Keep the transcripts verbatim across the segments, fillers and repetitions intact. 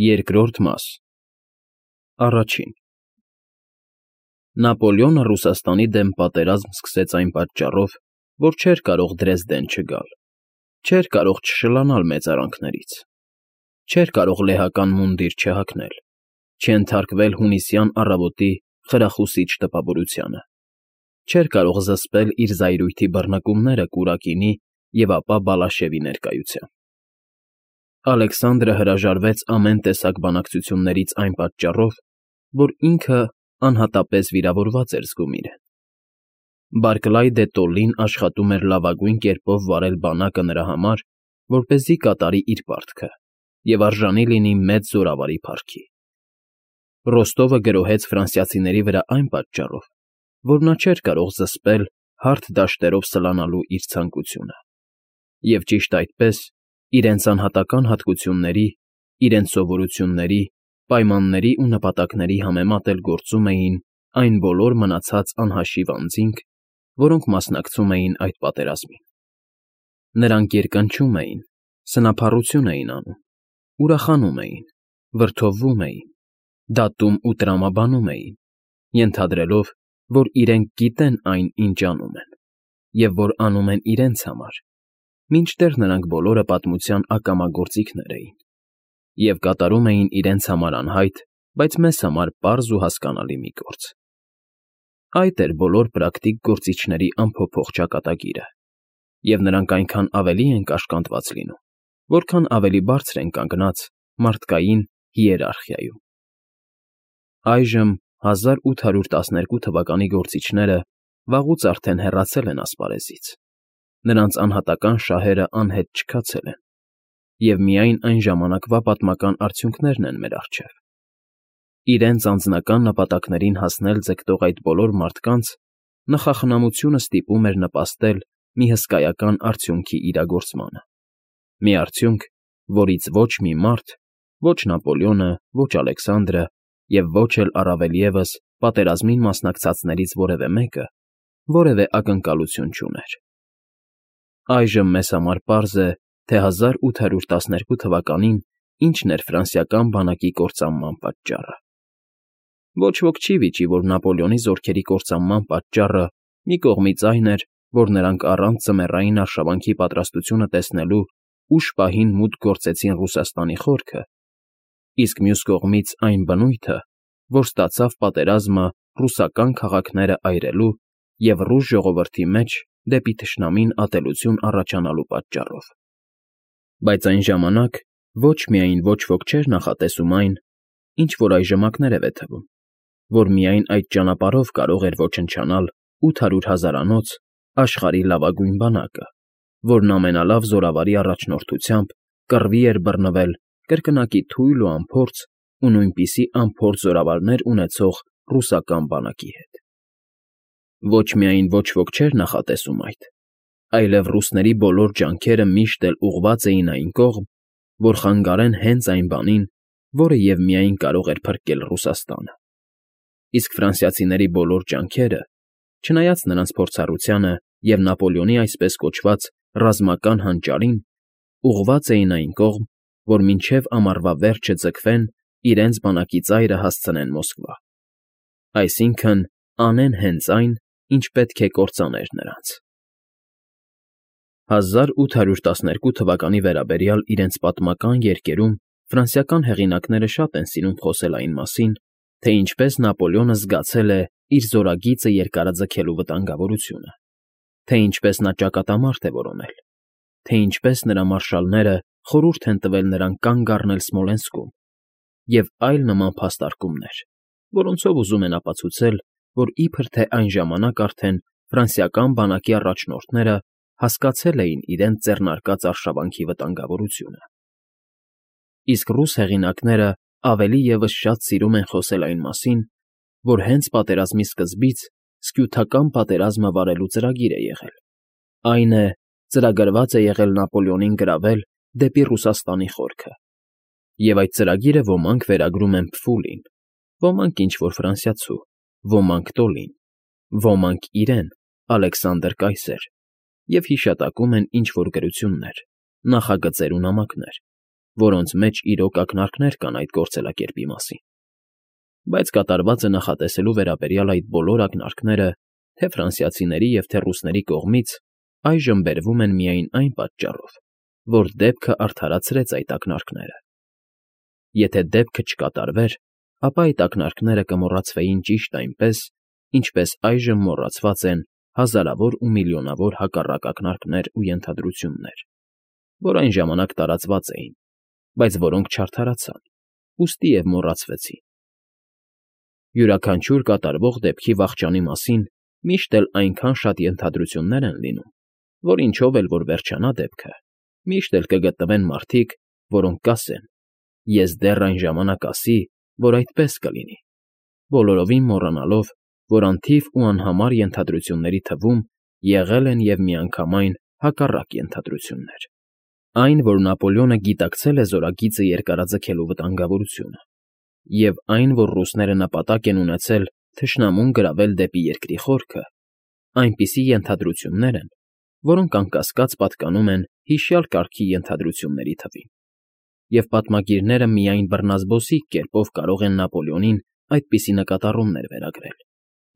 Երկրորդ մաս Առաջին Նապոլեոնը Ռուսաստանի դեմ պատերազմ սկսեց այն պատճառով, որ չէր կարող Դրեզդեն չգալ, չէր կարող չշլանալ մեծարանքներից, չէր կարող լեհական մունդիր չհագնել, չենթարկվել հունիսյան առավոտի խրախուսիչ տպավորությանը, չէր կարող զսպել իր զայրույթի բռնկումները Կուրակինի և ապա Բալաշևի ներկայությամբ։ Ալեքսանդրը հրաժարվեց ամեն տեսակ բանակցություններից այն պատճառով, որ ինքը անհատապես վիրավորված էր զգում իրեն։ Բարկլայ դե Տոլլին աշխատում էր լավագույն կերպով վարել բանակը նրա համար, որպեսզի կատարի իր պարտքը և արժանի լինի մեծ զորավարի փառքի։ Ռոստովը գրոհեց ֆրանսիացիների վրա այն պատճառով, որ նա չէր կարող զսպել հարթ դաշտերով սլանալու իր ցանկությունը, և ճիշտ այդպես, իրենց անհատական հատկությունների, իրենց սովորությունների, պայմանների ու նպատակների համեմատ էլ գործում էին այն բոլոր մնացած անհաշիվ անձինք, որոնք մասնակցում էին այդ պատերազմին։ Նրանք երկնչում էին, սնափառություն էին անում, ուրախանում էին, վրդովվում էին, դատում ու տրամաբանում էին, ենթադրելով, որ իրենք գիտեն այն, ինչ անում են, և որ անում են իրենց համար, մինչդեռ նրանք բոլորը պատմության ակամա գործիքներ էին, և կատարում էին իրենց համար անհայտ, բայց մեզ համար պարզ ու հասկանալի մի գործ։ Այդ էր բոլոր պրակտիկ գործիչների անփոփոխ ճակատագիրը, և նրանք այնքան ավելի են կաշկանդված լինում, որքան ավելի բարձր են կանգնած մարդկային հիերարխիայում։ Այժմ հազար ութ հարյուր տասներկու թվականի գործիչները վաղուց արդեն հեռացել են ասպարեզից, նրանց անհատական շահերը անհետ չքացել են, և միայն այն ժամանակվա պատմական արդյունքներն են մեր առջև։ Իրենց անձնական նպատակներին հասնել ձգտող այդ բոլոր մարդկանց նախախնամությունը ստիպում էր նպաստել մի հսկայական արդյունքի իրագործմանը, մի արդյունք, որից ոչ մի մարդ, ոչ Նապոլեոնը, ոչ Ալեքսանդրը և ոչ էլ առավել ևս պատերազմին մասնակցածներից որևէ մեկը որևէ ակնկալություն չուներ։ Այժմ մեզ համար պարզ է, թե հազար ութ հարյուր տասներկու թվականին ինչն էր ֆրանսիական բանակի կործանման պատճառը։ Ոչ ոք չի վիճի, որ Նապոլեոնի զորքերի կործանման պատճառը մի կողմից այն էր, որ նրանք առանց ձմեռային արշավանքի պատրաստությունը տեսնելու ուշ պահին մուտք գործեցին Ռուսաստանի խորքը, իսկ մյուս կողմից այն բնույթը, որ ստացավ պատերազմը ռուսական քաղաքները այրելու և ռուս ժողովրդի մեջ դեպի թշնամին ատելություն առաջանալու պատճառով։ Բայց այն ժամանակ ոչ միայն ոչ ոք չէր նախատեսում այն, ինչ որ այժմ ակներև է թվում, որ միայն այդ ճանապարհով կարող էր ոչնչանալ ութ հարյուր հազարանոց աշխարհի լավագույն բանակը, որն ամենալավ զորավարի առաջնորդությամբ կռվի էր բռնվել կրկնակի թույլ ու անփորձ ու նույնպիսի անփորձ զորավարներ ունեցող ռուսական բանակի հետ։ Ոչ միայն ոչ ոք չէր նախատեսում այդ, այլև ռուսների բոլոր ջանքերը միշտ էլ ուղղված էին այն կողմ, որ խանգարեն հենց այն բանին, որը և միայն կարող էր փրկել Ռուսաստանը։ Իսկ ֆրանսիացիների բոլոր ջանքերը, չնայած նրանց փորձառությանը և Նապոլեոնի այսպես կոչված ռազմական հանճարին, ուղղված էին այն կողմ, որ մինչև ամառվա վերջը ձգվեն իրենց բանակի ծայրը հասցնեն Մոսկվա, այսինքն՝ անեն հենց այն, ինչ պետք է կործաներ նրանց։ Հազար ութ հարյուր տասներկու թվականի վերաբերյալ իրենց պատմական երգերում ֆրանսիական հեղինակները շատ են սիրում խոսել այն մասին, թե ինչպես Նապոլեոնը զգացել է իր զորագիծը երկարաձգելու վտանգավորությունը, թե ինչպես նա ճակատամարտ է որոնել, թե ինչպես նրա մարշալները խորհուրդ են տվել նրան կանգ առնել Սմոլենսկում և այլ նման փաստարկումներ, որոնցով ուզում են ապացուցել, որ իբր թե այն ժամանակ արդեն ֆրանսիական բանակի առաջնորդները հասկացել էին իրենց ձեռնարկած արշավանքի վտանգավորությունը։ Իսկ ռուս հեղինակները ավելի ևս շատ սիրում են խոսել այն մասին, որ հենց պատերազմի սկզբից սքյութական պատերազմը վարելու ծրագիր է եղել, այն է, ծրագրված է եղել Նապոլեոնին գրավել դեպի Ռուսաստանի խորքը, և այդ ծրագիրը ոմանք վերագրում են Փֆուլին, ոմանք ինչ֊որ ֆրանսիացու, ոմանք Տոլին, ոմանք իրեն, Ալեքսանդր կայսեր, և հիշատակում են ինչ֊որ գրություններ, նախագծեր ու նամակներ, որոնց մեջ իրոք ակնարկներ կան այդ գործելակերպի մասին։ Բայց կատարվածը նախատեսելու վերաբերյալ այդ բոլոր ակնարկները թե՛ ֆրանսիացիների և թե՛ ռուսների կողմից այժմ բերվում են միայն այն պատճառով, որ դեպքը արդարացրեց այդ ակնարկները։ Եթե դեպքը չկատարվեր, ապա այդ ակնարկները կմոռացվեին ճիշտ այնպես, ինչպես այժմ մոռացված են հազարավոր ու միլիոնավոր հակառակ ակնարկներ ու ենթադրություններ, որ այն ժամանակ տարածված էին, բայց որոնք չարդարացան, ուստի և մոռացվեցին։ Յուրաքանչյուր կատարվող դեպքի վախճանի մասին միշտ էլ այնքան շատ ենթադրություններ են լինում, որ ինչով էլ որ վերջանա դեպքը, միշտ էլ կգտնվեն մարդիկ, որոնք կասեն. «Ես դեռ այն ժամանակ ասի, որ այդպես կլինի», բոլորովին մոռանալով, որ անթիվ ու անհամար ենթադրությունների թվում եղել են և միանգամայն հակառակ ենթադրություններ։ Այն, որ Նապոլեոնը գիտակցել է զորագիծը երկարաձգելու վտանգավորությունը, և այն, որ ռուսները նպատակ են ունեցել թշնամուն գրավել դեպի երկրի խորքը, այնպիսի ենթադրություններ են, որոնք անկասկած պատկանում են հիշյալ կարգի ենթադրությունների թվին, և պատմագիրները միայն բռնազբոսիկ կերպով կարող են Նապոլեոնին այդպիսի նկատառումներ վերագրել,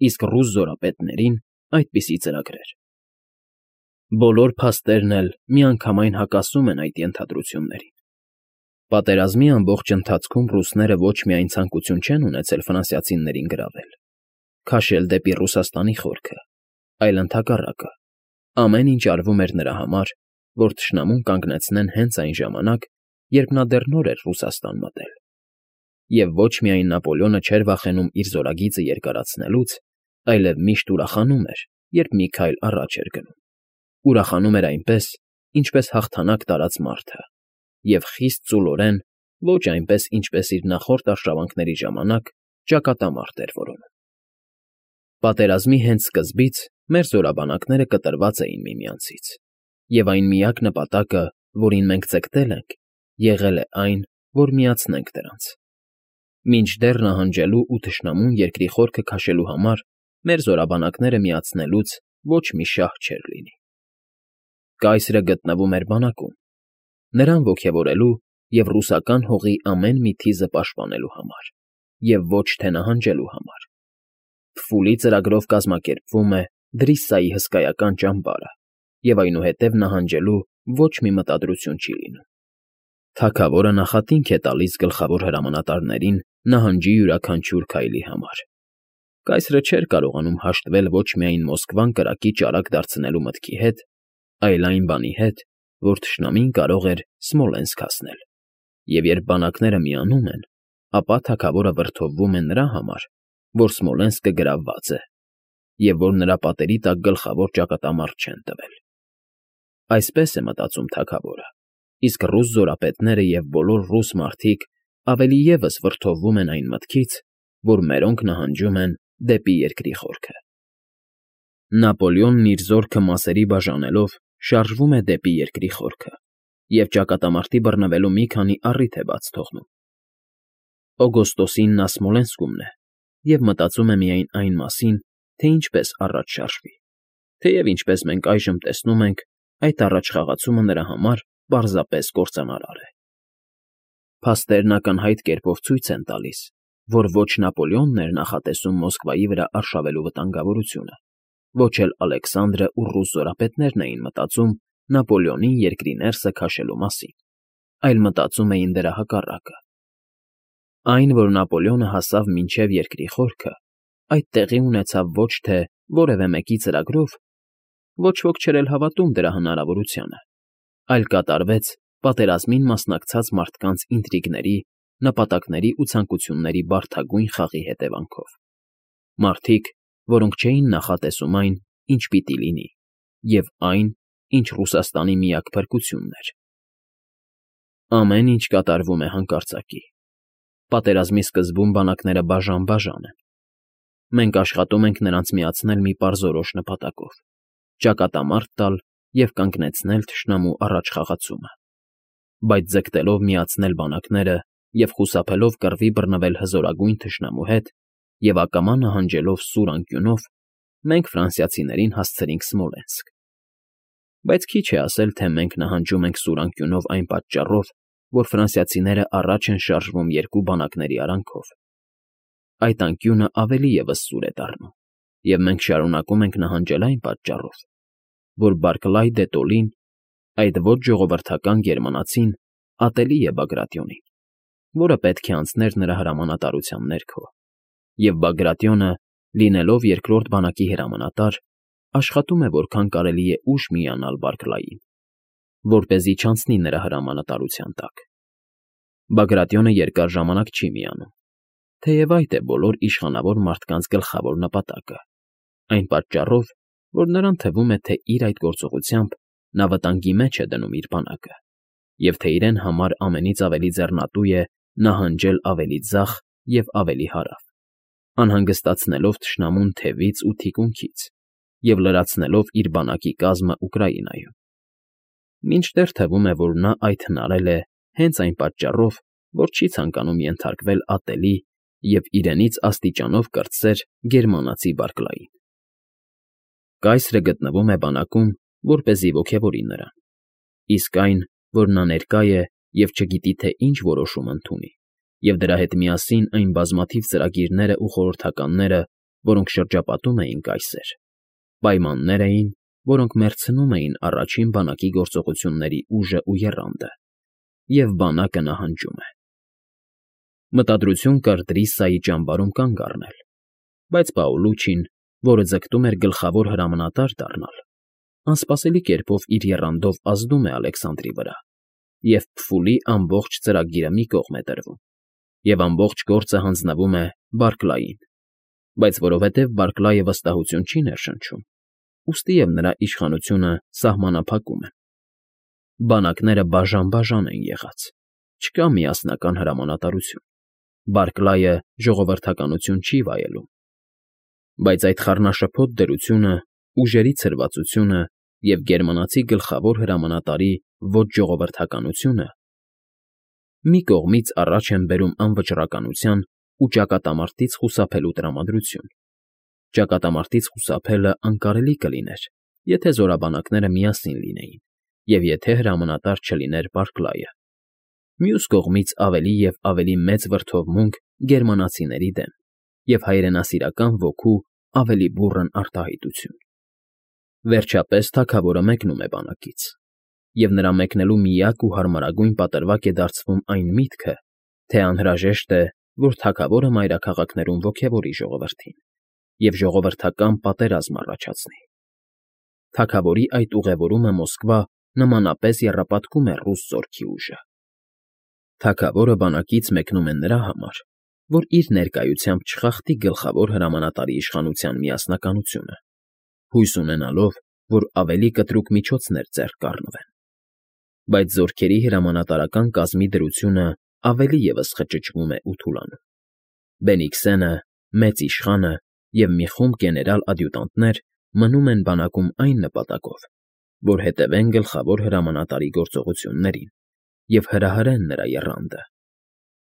իսկ ռուս զորապետներին այդպիսի ծրագրեր։ Բոլոր փաստերն էլ միանգամայն հակասում են այդ ենթադրություններին։ Պատերազմի ամբողջ ընթացքում ռուսները ոչ միայն ցանկություն չեն ունեցել ֆրանսիացիներին գրավել, քաշել դեպի Ռուսաստանի խորքը, այլ ընդհակառակը, ամեն ինչ արվում էր նրա համար, որ թշնամուն կանգնեցնեն հենց այն ժամանակ, երբ նա դեռ նոր էր Ռուսաստան մտել։ Եվ ոչ միայն Նապոլեոնը չէր վախենում իր զորագիծը երկարացնելուց, այլև միշտ ուրախանում էր, երբ մի քայլ առաջ էր գնում։ Ուրախանում էր այնպես, ինչպես հաղթանակ տարած մարդը, և խիստ ծուլորեն, ոչ այնպես, ինչպես իր նախորդ արշավանքների ժամանակ ճակատամարտ էր որոնում։ Պատերազմի հենց սկզբից մեր զորաբանակները կտրված էին միմյանցից, և այն միակ նպատակը, որին մենք ձգտել ենք, եղել է այն, որ միացնենք դրանց։ Մինչդեռ նահանջելու ու թշնամուն երկրի խորքը քաշելու համար մեր զորաբանակները միացնելուց ոչ մի շահ չէր լինի։ Կայսրը գտնվում էր բանակում, նրան ոգևորելու և ռուսական հողի ամեն մի թիզը պաշտպանելու համար, և ոչ թե նահանջելու համար։ Փֆուլի ծրագրով կազմակերպվում է Դրիսայի հսկայական ճամբարը, և այնուհետև նահանջելու ոչ մի մտադրություն չի լինում։ Թագավորը նախատինք է տալիս գլխավոր հրամանատարներին նահանջի յուրաքանչյուր քայլի համար։ Կայսրը չէր կարողանում հաշտվել ոչ միայն Մոսկվան կրակի ճարակ դարձնելու մտքի հետ, այլ այն բանի հետ, որ թշնամին կարող էր Սմոլենսկ հասնել, և երբ բանակները միանում են, ապա թագավորը վրդովվում է նրա համար, որ Սմոլենսկը գրավված է, և որ նրա պատերի տակ գլխավոր ճակատամարտ չեն տվել։ Այսպես է մտածում թագավորը, իսկ ռուս զորապետները և բոլոր ռուս մարդիկ ավելի ևս վրդովվում են այն մտքից, որ մերոնք նահանջում են դեպի երկրի խորքը։ Նապոլեոնն իր զորքը մասերի բաժանելով շարժվում է դեպի երկրի խորքը և ճակատամարտի բռնվելու մի քանի առիթ է բաց թողնում։ Օգոստոսին նա Սմոլենսկումն է և մտածում է միայն այն մասին, թե ինչպես առաջ շարժվի, թեև ինչպես մենք այժմ տեսնում ենք, այդ առաջխաղացումը նրա համար պարզապես կործանարար է։ Փաստերն ակնհայտ կերպով ցույց են տալիս, որ ոչ Նապոլեոնն էր նախատեսում Մոսկվայի վրա արշավելու վտանգավորությունը, ոչ էլ Ալեքսանդրը ու ռուս զորապետներն էին մտածում Նապոլեոնին երկրի ներսը քաշելու մասին, այլ մտածում էին դրա հակառակը։ Այն, որ Նապոլեոնը հասավ մինչև երկրի խորքը, այդ տեղի ունեցավ ոչ թե որևէ մեկի ծրագրով, ոչ ոք չէր էլ հավատում դրա հնարավորությանը, այլ կատարվեց պատերազմին մասնակցած մարդկանց ինտրիգների, նպատակների ու ցանկությունների բարդագույն խաղի հետևանքով։ Մարդիկ, որոնք չէին նախատեսում այն, ինչ պիտի լինի, և այն, ինչ Ռուսաստանի միակ փրկությունն էր։ Ամեն ինչ կատարվում է հանկարծակի։ Պատերազմի սկզբում բանակները բաժան֊բաժան են։ Մենք աշխատում ենք նրանց միացնել մի պարզորոշ նպատակով՝ ճակատամարտ տալ և կանգնեցնել թշնամու առաջխաղացումը։ Բայց ձգտելով միացնել բանակները և խուսափելով կռվի բռնվել հզորագույն թշնամու հետ և ակամա նահանջելով սուր անկյունով, մենք ֆրանսիացիներին հասցրինք Սմոլենսկ։ Բայց քիչ է ասել, թե մենք նահանջում ենք սուր անկյունով այն պատճառով, որ ֆրանսիացիները առաջ են շարժվում երկու բանակների արանքով։ Այդ անկյունը ավելի ևս սուր է դառնում, և մենք շարունակում ենք նահանջել այն պատճառով, որ Բարքլայ դե Տոլին, այդ ոչ ժողովրդական գերմանացին, ատելի է Բագրատիոնին, որը պետք է անցներ նրա հրամանատարության ներքո, և Բագրատիոնը, լինելով երկրորդ բանակի հրամանատար, աշխատում է որքան կարելի է ուշ միանալ Բարքլային, որպեսզի չանցնի նրա հրամանատարության տակ։ Բագրատիոնը երկար ժամանակ չի միանում, թեև այդ է բոլոր իշխանավոր մարդկանց գլխավոր նպատակը, այն պատճառով, որ նրան թվում է, թե իր այդ գործողությամբ նա վտանգի մեջ է դնում իր բանակը, և թե իրեն համար ամենից ավելի ձեռնատու է նահանջել ավելի ձախ և ավելի հարավ, անհանգստացնելով թշնամուն թևից ու թիկունքից և լրացնելով իր բանակի կազմը Ուկրաինայում։ Մինչդեռ թվում է, որ նա այդ հնարել է հենց այն պատճառով, որ չի ցանկանում ենթարկվել ատելի և իրենից աստիճանով կրտսեր գերմանացի Բարքլային։ Կայսրը գտնվում է բանակում, որպեսզի ոգևորի նրան, իսկ այն, որ նա ներկա է և չգիտի, թե ինչ որոշում ընդունի, և դրա հետ միասին այն բազմաթիվ ծրագիրներն ու խորհրդականները, որոնք շրջապատում էին կայսեր, պայմաններ էին, որոնք մերցնում էին առաջին բանակի գործողությունների ուժն ու եռանդը, և բանակը նահանջում է։ Մտադրություն կար Դրիսայի ճամբարում կանգ առնել, բայց Պաուլուչին, որը ձգտում էր գլխավոր հրամանատար դառնալ, անսպասելի կերպով իր եռանդով ազդում է Ալեքսանդրի վրա, և փֆուլի ամբողջ ծրագիրը մի կողմ է դրվում, և ամբողջ գործը հանձնվում է Բարքլային, բայց որովհետև Բարքլայը վստահություն չի ներշնչում, ուստի և նրա իշխանությունը սահմանափակում են։ Բանակները բաժան֊բաժան են եղած, չկա միասնական հրամանատարություն, Բարքլայը ժողովրդականություն չի վայելում, բայց այդ խառնաշփոթ դրությունը, ուժերի ցրվածությունը և գերմանացի գլխավոր հրամանատարի ոչ ժողովրդականությունը մի կողմից առաջ են բերում անվճռականության ու ճակատամարտից խուսափելու տրամադրություն։ Ճակատամարտից խուսափելն անկարելի կլիներ, եթե զորաբանակները միասին լինեին և եթե հրամանատար չլիներ Բարքլայը։ Մյուս կողմից ավելի և ավելի մեծ վրդովմունք գերմանացիների դեմ և հայրենասիրական ոգու ավելի բուռն արտահայտություն։ Վերջապես թագավորը մեկնում է բանակից, և նրա մեկնելու միակ ու հարմարագույն պատրվակ է դարձվում այն միտքը, թե անհրաժեշտ է, որ թագավորը մայրաքաղաքներում ոգևորի ժողովրդին և ժողովրդական պատերազմ առաջացնի։ Թագավորի այդ ուղևորումը Մոսկվա նմանապես եռապատկում է ռուս զորքի ուժը։ Թագավորը բանակից մեկնում է նրա համար, որ իր ներկայությամբ չխախտի գլխավոր հրամանատարի իշխանության միասնականությունը, հույս ունենալով, որ ավելի կտրուկ միջոցներ ձեռք կառնվեն։ Բայց զորքերի հրամանատարական կազմի դրությունը ավելի ևս խճճվում է ու թուլանում։ Բենիքսենը, մեծ իշխանը և մի խումբ գեներալ֊ադյուտանտներ մնում են բանակում այն նպատակով, որ հետևեն գլխավոր հրամանատարի գործողություններին և հրահրեն նրա եռանդը։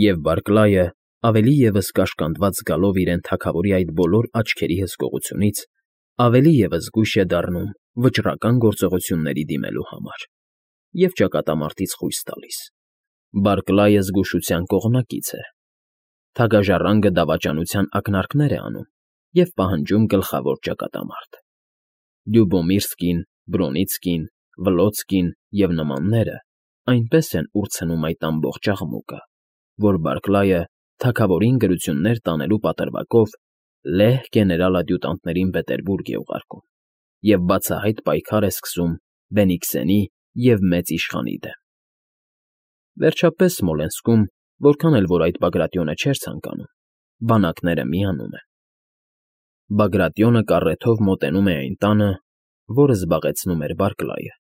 Եվ Բարքլայը, ավելի ևս կաշկանդված զգալով իրեն թագավորի այդ բոլոր աչքերի հսկողությունից, ավելի ևս զգույշ է դառնում վճռական գործողությունների դիմելու համար և ճակատամարտից խույս տալիս։ Բարքլայը զգուշության կողմնակից է։ Թագաժառանգը դավաճանության ակնարկներ է անում և պահանջում գլխավոր ճակատամարտ։ Լյուբոմիրսկին, Բրոնիցկին, Վլոցկին և նմանները այնպես են ուրցնում այդ ամբողջ աղմուկը, որ Բարքլայը թագավորին գրություններ տանելու պատրվակով լեհ գեներալ֊ադյուտանտներին Պետերբուրգ է ուղարկում և բացահայտ պայքար է սկսում Բենիքսենի և մեծ իշխանի դեմ։ Վերջապես Սմոլենսկում, որքան էլ որ այդ Բագրատիոնը չէր ցանկանում, բանակները միանում են։ Բագրատիոնը կառեթով մոտենում է այն տանը, որը զբաղեցնում էր Բարքլայը։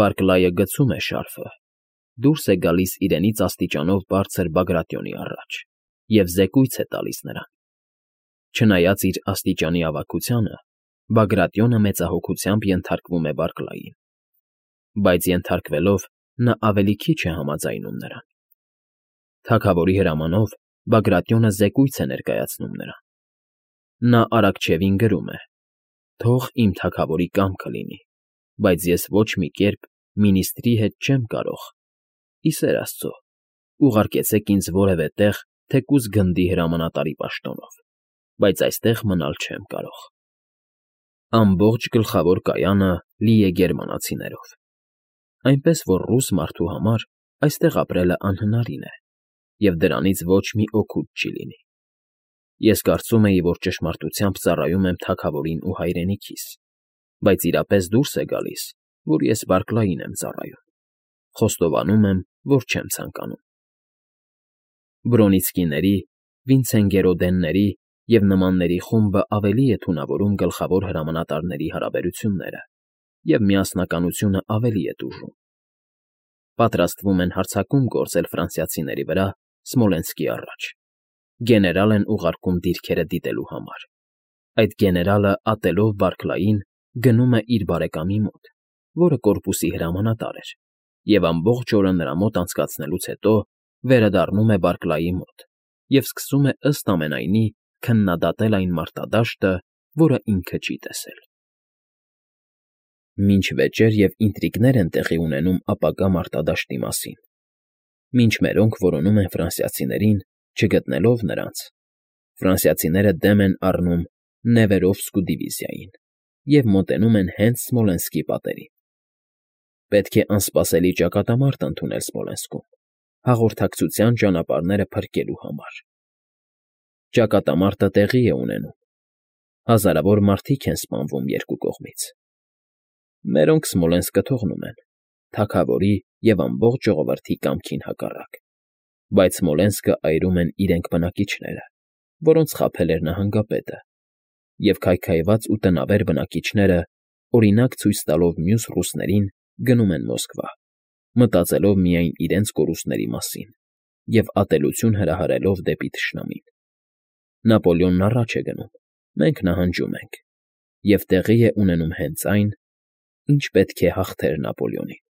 Բարքլայը գցում է շարֆը, դուրս է գալիս իրենից աստիճանով բարձր Բագրատիոնի առաջ և զեկույց է տալիս նրան։ Չնայած իր աստիճանի ավագությանը, Բագրատիոնը մեծահոգությամբ ենթարկվում է Բարքլային, բայց ենթարկվելով նա ավելի քիչ է համաձայնում նրան։ Թագավորի հրամանով Բագրատիոնը զեկույց է ներկայացնում նրան։ Նա Արաքչևին գրում է. «Թող իմ թագավորի կամքը լինի, բայց ես ոչ մի կերպ մինիստրի հետ չեմ կարող ի սեր աստծո, ուղարկեցեք ինձ որևէ տեղ, թեկուզ գնդի հրամանատարի պաշտոնով, բայց այստեղ մնալ չեմ կարող։ Ամբողջ գլխավոր կայանը լի է գերմանացիներով, այնպես որ ռուս մարդու համար այստեղ ապրելը անհնարին է, և դրանից ոչ մի օգուտ չի լինի։ Ես կարծում էի, որ ճշմարտությամբ ծառայում եմ թագավորին ու հայրենիքիս, բայց իրապես դուրս է գալիս, որ ես Բարքլային եմ ծառայում, խոստովանում եմ, որ չեմ ցանկանում։ Բրոնիցկիների, Վինցենգերոդենների և նմանների խումբը ավելի է թունավորում գլխավոր հրամանատարների հարաբերությունները և միասնականությունը ավելի է տուժում։ Պատրաստվում են հարձակում գործել ֆրանսիացիների վրա Սմոլենսկի առաջ։ Գեներալ են ուղարկում դիրքերը դիտելու համար։ Այդ գեներալը, ատելով Բարքլային, գնում է իր բարեկամի մոտ, որը կորպուսի հրամանատար էր, և ամբողջ օրը նրա մոտ անցկացնելուց հետո վերադառնում է Բարքլայի մոտ և սկսում է ըստ ամենայնի քննադատել այն մարտադաշտը, որը ինքը չի տեսել։ Մինչ վեճեր և ինտրիգներ են տեղի ունենում ապագա մարտադաշտի մասին, մինչ մերոնք որոնում են ֆրանսիացիներին, չգտնելով նրանց, ֆրանսիացիները դեմ են առնում Նևերովսկու դիվիզիային և մոտենում են հենց Սմոլենսկի պատերին։ Պետք է անսպասելի ճակատամարտ ընդունել Սմոլենսկում, հաղորդակցության ճանապարհները փրկելու համար։ Ճակատամարտը տեղի է ունենում, հազարավոր մարդիկ են սպանվում երկու կողմից։ Մերոնք Սմոլենսկը թողնում են, թագավորի և ամբողջ ժողովրդի կամքին հակառակ, բայց Սմոլենսկը այրում են իրենք բնակիչները, որոնց խաբել էր նահանգապետը, և քայքայված ու տնավեր բնակիչները, օրինակ ցույց տալով մյուս ռուսներին, գնում են Մոսկվա, մտածելով միայն իրենց կորուստների մասին և ատելություն հրահրելով դեպի թշնամին։ Նապոլեոնն առաջ է գնում, մենք նահանջում ենք, և տեղի է ունենում հենց այն, ինչ պետք է հաղթեր Նապոլեոնին։